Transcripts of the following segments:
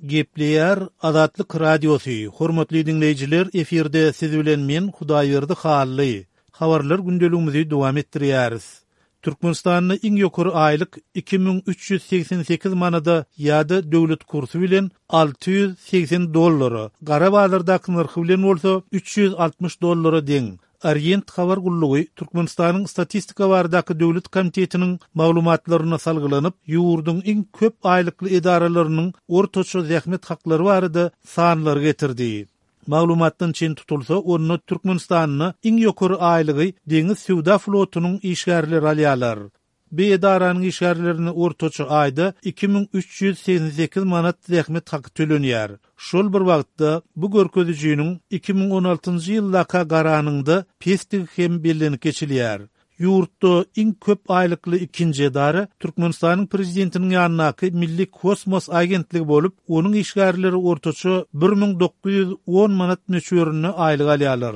Gepleýär Azatlyk Radiosy, Hormatly diňleýjiler, efirde siz bilen men Hudaýberdi Hally. Habarlar gündeligimizi dowam etdirýäris. Türkmenistanda iň ýokary aýlyk 2388 manada ýa-da döwlet kursy bilen 680 dollara, gara bazardaky nyrhy bilen bolsa 360 dollara deň. Orient habar gullugy Türkmenistanyň Statistika baradaky döwlet komitetiniň maglumatlaryna salgylanyp, ýurduň iň köp aýlykly edaralarynyň ortaça zähmet haklary barada sanlary getirdi. Maglumatdan çen tutulsa, onda Türkmenistanda iň ýokary aýlygy deňiz söwda flotunyň işgärleri alýarlar. Bu edaranyň işgärlerine ortaça aýda 2388 manat zähmet haky tölenýär. Şol bir wagtda, bu görkezijiniň 2016-njy ýyldaka garanyňda pesdigi hem bellenip geçilýär. Ýurtda iň köp aýlykly ikinji edara Türkmenistanyň Prezidentiniň ýanyndaky Milli kosmos agentligi bolup, onuň işgärleri ortaça 1910 manat möçberinde aýlyk alýarlar.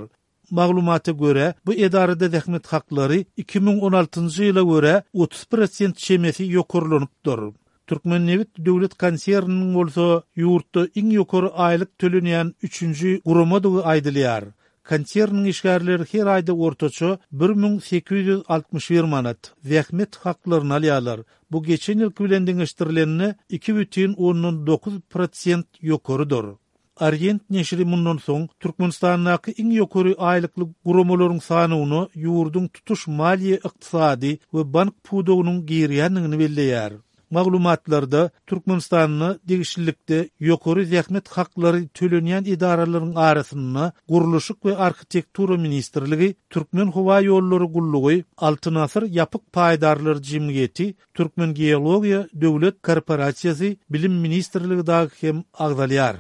Maglumata görä, bu edarada zähmet haklary 2016-njy ýyla görä 30 prosent çemesi ýokarlanypdyr. Türkmennebit döwlet konserniniň bolsa ýurtda iň ýokary aýlyk tölenýän üçünji guramadygy aýdylýar. Konserniň işgärleri her aýda ortaça 1861 manat zähmet haklaryny alýarlar. Bu geçen ýylky bilen deňeşdirilende 2,9 prosent ýokarydyr. Orient neşiri mundan soň Türkmenistandaky iň ýokary aýlykly guramalaryň sanawyna ýurduň tutuş maliýe-ykdysady we bank pudagynyň girýändigini belleýär. Maglumatlarda Türkmenistanda degişlilikde ýokary zähmet haklary tölenýän edaralaryň arasynda Gurluşyk we arhitektura ministrligi, Türkmenhowaýollary gullugy, Altyn asyr ýapyk paýdarlar jemgyýeti, Türkmengeologiýa döwlet korporasiýasy, Bilim ministrligi dagy hem agzalýar.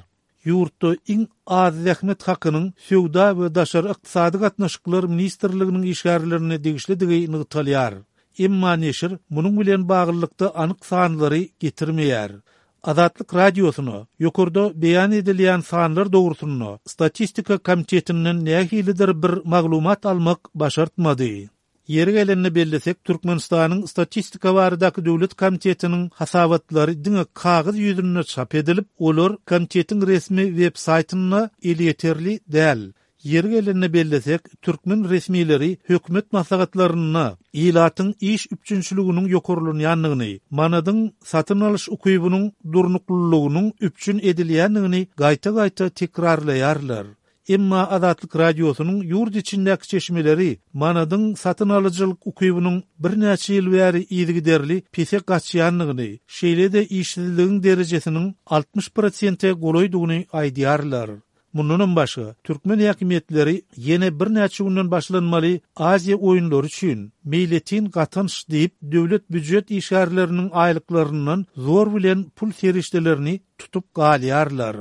Ýurtda iň az zähmet hakynyň Söwda we daşary ykdysady gatnaşyklar ministrliginiň işgärlerine degişlidigi nygtalýar. Emma neşir munuň bilen baglylykda anyk sanlary getirmeýär. Azatlyk Radiosyna ýokarda beýan edilýän sanlar dogrusynda Statistika komitetinden nähilidir bir maglumat almak başartmady. Ýeri gelende bellesek, Türkmenistanyň Statistika baradaky döwlet komitetiniň hasabatlary diňe kagyz ýüzünde çap edilip, olar komitetiň resmi web saýtynda elýeterli däl. Ýeri gelende bellesek, türkmen resmileri hökümet maslahatlarynda ilatyň iş üpjünçiliginiň ýokarlanýandygyny, manadyň satyn alyş ukybynyň durnuklylygynyň üpjün edilýändigini gaýta-gaýta tekrarlaýarlar. Emma Azatlyk Radiosynyň ýurt içindäki çeşmeleri manadyň satyn alyjylyk ukybynyň birnäçe ýyl bäri yzygiderli pese gaçýandygyny, şeýle-de işsizligiň derejesiniň 60 prosente golaýdygyny aýdýarlar. Mundanam başga, türkmen häkimiýetleri ýene birnäçe günden başlanmaly Aziýa oýunlary üçin meýletin gatanç diýip, döwlet býujet işgärleriniň aýlyklaryndan zor bilen pul serişdelerini tutup galýarlar.